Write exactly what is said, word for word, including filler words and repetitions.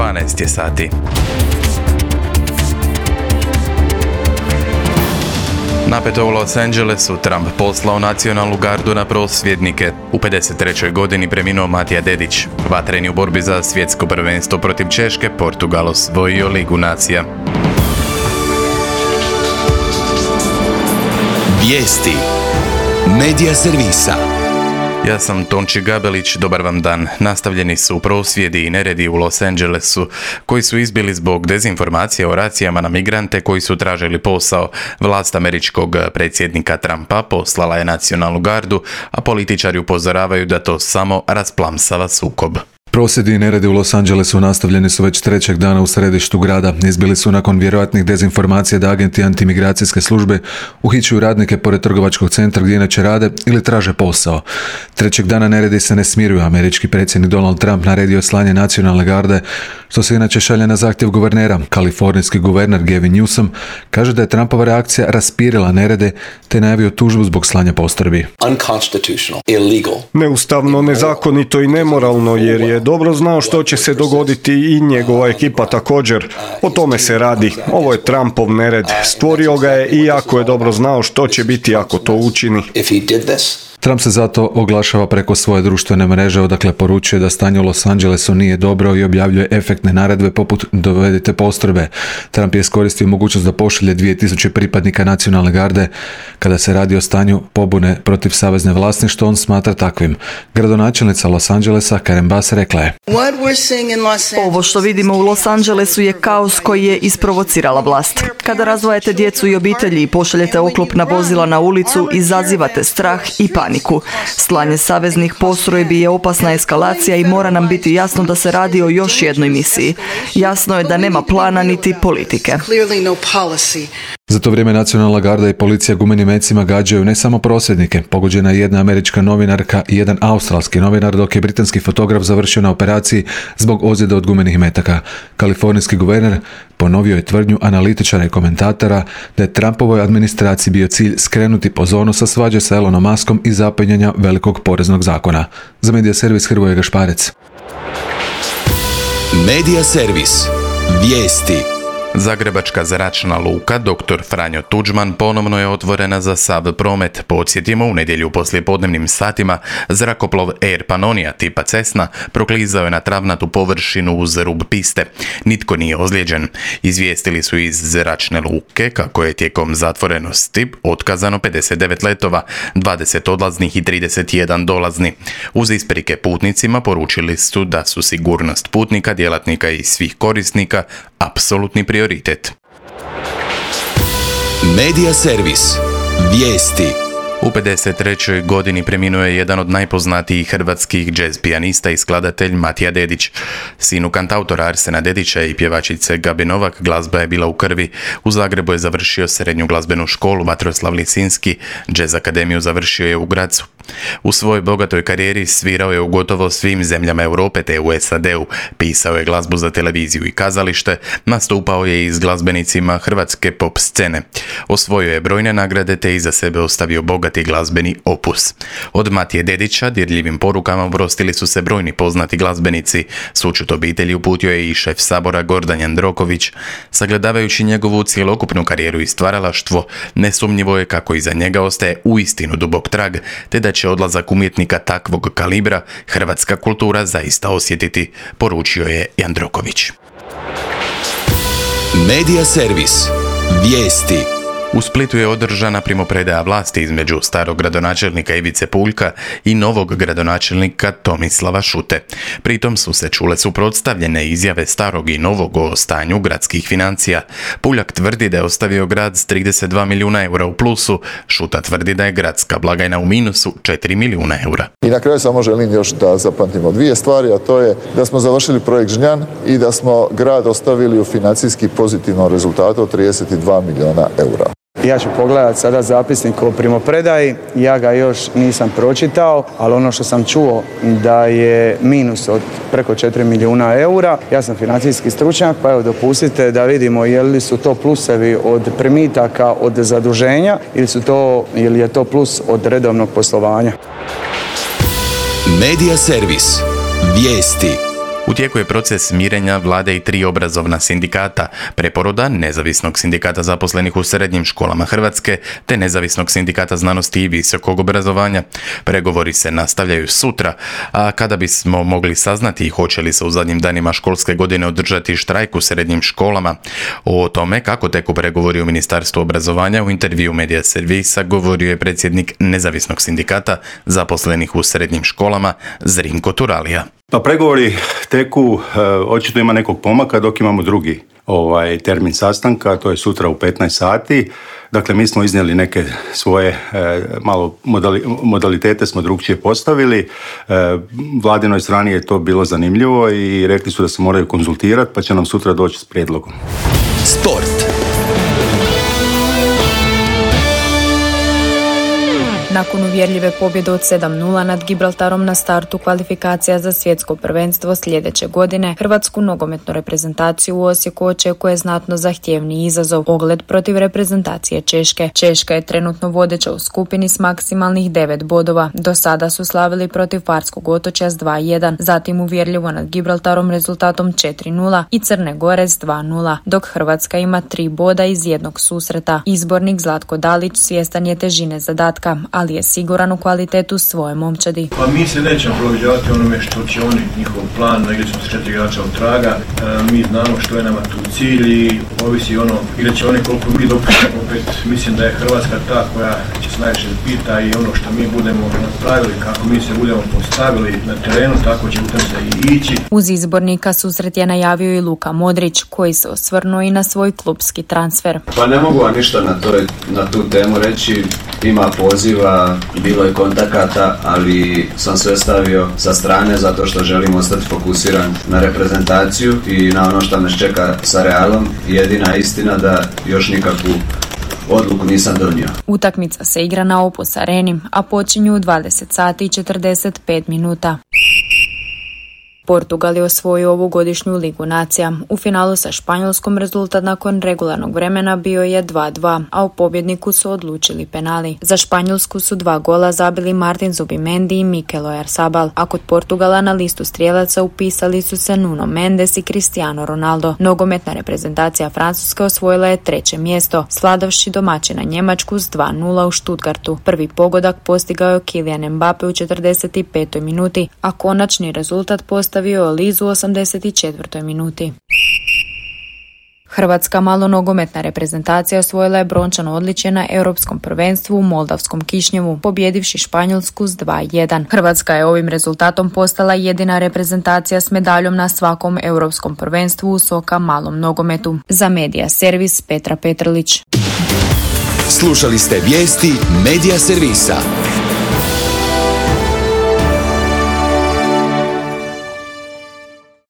dvanaest je sati. Napeto u Los Angelesu, Trump poslao nacionalnu gardu na prosvjednike. U pedeset trećoj godini preminuo Matija Dedić. Vatreni u borbi za svjetsko prvenstvo protiv Češke, Portugal osvojio Ligu nacija. Vijesti Medija servisa. Ja sam Tonči Gabelić, dobar vam dan. Nastavljeni su prosvjedi i neredi u Los Angelesu, koji su izbili zbog dezinformacija o racijama na migrante koji su tražili posao. Vlast američkog predsjednika Trumpa poslala je nacionalnu gardu, a političari upozoravaju da to samo rasplamsava sukob. Prosvjedi i neredi u Los Angelesu nastavljeni su već trećeg dana u središtu grada. Izbili su nakon vjerojatnih dezinformacija da agenti antimigracijske službe uhićuju radnike pored trgovačkog centra gdje inače rade ili traže posao. Trećeg dana neredi se ne smiruju. Američki predsjednik Donald Trump naredio slanje nacionalne garde, što se inače šalje na zahtjev guvernera. Kalifornijski guverner Gavin Newsom kaže da je Trumpova reakcija raspirila nerede te najavio tužbu zbog slanja postrojbi. Neustavno, nezakonito i nemoralno, jer je dobro znao što će se dogoditi i njegova ekipa također. O tome se radi. Ovo je Trumpov nered. Stvorio ga je iako je dobro znao što će biti ako to učini. Trump se zato oglašava preko svoje društvene mreže, odakle poručuje da stanje u Los Angelesu nije dobro i objavljuje efektne naredbe poput dovedite postrojbe. Trump je iskoristio mogućnost da pošalje dvije tisuće pripadnika nacionalne garde kada se radi o stanju pobune protiv savezne vlasti, što on smatra takvim. Gradonačelnica Los Angelesa Karen Bass rekla je: Ovo što vidimo u Los Angelesu je kaos koji je isprovocirala vlast. Kada razdvajate djecu i obitelji i pošaljete oklopna vozila na ulicu, izazivate strah i paniku. Slanje saveznih postrojbi je opasna eskalacija i mora nam biti jasno da se radi o još jednoj misiji. Jasno je da nema plana niti politike. Za to vrijeme nacionalna garda i policija gumenim mecima gađaju ne samo prosvjednike. Pogođena je jedna američka novinarka i jedan australski novinar, dok je britanski fotograf završio na operaciji zbog ozljede od gumenih metaka. Kalifornijski guverner ponovio je tvrdnju analitičara i komentatora da je Trumpovoj administraciji bio cilj skrenuti pozornost sa svađe sa Elonom Muskom i zapenjanja velikog poreznog zakona. Za Medija servis Hrvoje Gašparec. Medija servis. Vijesti. Zagrebačka zračna luka doktor Franjo Tuđman ponovno je otvorena za sav promet. Podsjetimo, u nedjelju poslijepodnevnim satima zrakoplov Air Pannonia tipa Cessna proklizao je na travnatu površinu uz rub piste. Nitko nije ozlijeđen. Izvijestili su iz zračne luke kako je tijekom zatvorenosti otkazano pedeset devet letova, dvadeset odlaznih i trideset jedan dolazni. Uz isprike putnicima poručili su da su sigurnost putnika, djelatnika i svih korisnika apsolutni prioritet. Medija servis. Vijesti. U pedeset trećoj godini preminuo je jedan od najpoznatijih hrvatskih džez pijanista i skladatelj Matija Dedić. Sinu kantautora Arsena Dedića i pjevačice Gabi Novak glazba je bila u krvi. U Zagrebu je završio srednju glazbenu školu Vatroslav Lisinski, džez akademiju završio je u Grazu. U svojoj bogatoj karijeri svirao je u gotovo svim zemljama Europe te u S A D-u, pisao je glazbu za televiziju i kazalište, nastupao je i s glazbenicima hrvatske pop scene. Osvojio je brojne nagrade te iza sebe ostavio bogati glazbeni opus. Od Matije Dedića dirljivim porukama oprostili su se brojni poznati glazbenici. Sućut obitelji uputio je i šef Sabora Gordan Jandroković. Sagledavajući njegovu cjelokupnu karijeru i stvaralaštvo, nesumnjivo je kako iza njega ostaje uistinu dubok trag, te da će odlazak umjetnika takvog kalibra hrvatska kultura zaista osjetiti, poručio je Jandroković. Medija servis. Vijesti. U Splitu je održana primopredaja vlasti između starog gradonačelnika Ivice Puljka i novog gradonačelnika Tomislava Šute. Pritom su se čule suprotstavljene izjave starog i novog o stanju gradskih financija. Puljak tvrdi da je ostavio grad s trideset dva milijuna eura u plusu, Šuta tvrdi da je gradska blagajna u minusu četiri milijuna eura. I na kraju samo želim još da zapamtimo dvije stvari, a to je da smo završili projekt Žnjan i da smo grad ostavili u financijski pozitivnom rezultatu od trideset dva milijuna eura. Ja ću pogledati sada zapisnik o primopredaji, ja ga još nisam pročitao, ali ono što sam čuo da je minus od preko četiri milijuna eura. Ja sam financijski stručnjak, pa evo dopustite da vidimo je li su to plusevi od primitaka od zaduženja ili, su to, ili je to plus od redovnog poslovanja. Medija servis. Vijesti. U tijeku je proces mirenja vlade i tri obrazovna sindikata, Preporoda, Nezavisnog sindikata zaposlenih u srednjim školama Hrvatske, te Nezavisnog sindikata znanosti i visokog obrazovanja. Pregovori se nastavljaju sutra, a kada bismo mogli saznati hoće li se u zadnjim danima školske godine održati štrajk u srednjim školama. O tome kako teku pregovori u Ministarstvu obrazovanja u intervju Medija Servisa govorio je predsjednik Nezavisnog sindikata zaposlenih u srednjim školama Zrinko Turalija. Pa pregovori teku, e, očito ima nekog pomaka dok imamo drugi ovaj termin sastanka, to je sutra u petnaest sati. Dakle, mi smo iznijeli neke svoje e, malo modali, modalitete smo drugčije postavili. E, Vladinoj strani je to bilo zanimljivo i rekli su da se moraju konzultirati, pa će nam sutra doći s prijedlogom. Sport. Nakon uvjerljive pobjede od sedam nula nad Gibraltarom na startu kvalifikacija za svjetsko prvenstvo sljedeće godine, hrvatsku nogometnu reprezentaciju u Osijeku očekuje znatno zahtjevni izazov, ogled protiv reprezentacije Češke. Češka je trenutno vodeća u skupini s maksimalnih devet bodova. Do sada su slavili protiv Farskog otočja s dva jedan, zatim uvjerljivo nad Gibraltarom rezultatom četiri nula i Crne Gore s dva nula, dok Hrvatska ima tri boda iz jednog susreta. Izbornik Zlatko Dalić svjestan je težine zadatka, ali je siguran u kvalitetu svoje momčadi. Pa mi se nećemo prilagođavati onome što će oni, njihov plan, negdje smo s četiri igrača od traga, e, mi znamo što je nama tu cilj i ovisi ono, igrat će oni koliko mi dopuštamo. Opet mislim da je Hrvatska ta koja će se najviše pita i ono što mi budemo napravili, kako mi se budemo postavili na terenu, tako će u tom se i ići. Uz izbornika susret je najavio i Luka Modrić, koji se osvrnuo i na svoj klubski transfer. Pa ne mogu vam ništa na, toj, na tu temu reći, ima poziva, bilo je kontakata, ali sam sve stavio sa strane zato što želim ostati fokusiran na reprezentaciju i na ono što nas čeka sa Realom. Jedina istina da još nikakvu odluku nisam donio. Utakmica se igra na Opus Areni, a počinju u dvadeset sati i četrdeset pet minuta. Portugal je osvojio ovu godišnju Ligu nacija. U finalu sa Španjolskom rezultat nakon regularnog vremena bio je dva dva, a u pobjedniku su odlučili penali. Za Španjolsku su dva gola zabili Martin Zubimendi i Mikel Oyarzabal, a kod Portugala na listu strijelaca upisali su se Nuno Mendes i Cristiano Ronaldo. Nogometna reprezentacija Francuske osvojila je treće mjesto, sladavši domaćina Njemačku s dva nula u Stuttgartu. Prvi pogodak postigao je Kylian Mbappe u četrdeset petoj minuti, a konačni rezultat postavio stavio Lizu u osamdeset četvrtoj minuti. Hrvatska malonogometna reprezentacija osvojila je brončano odličje na Europskom prvenstvu u Moldavskom Kišnjevu, pobjedivši Španjolsku s dva jedan. Hrvatska je ovim rezultatom postala jedina reprezentacija s medaljom na svakom Europskom prvenstvu u soka malom nogometu. Za Medija Servis Petra Petrlić. Slušali ste vijesti Medija Servisa.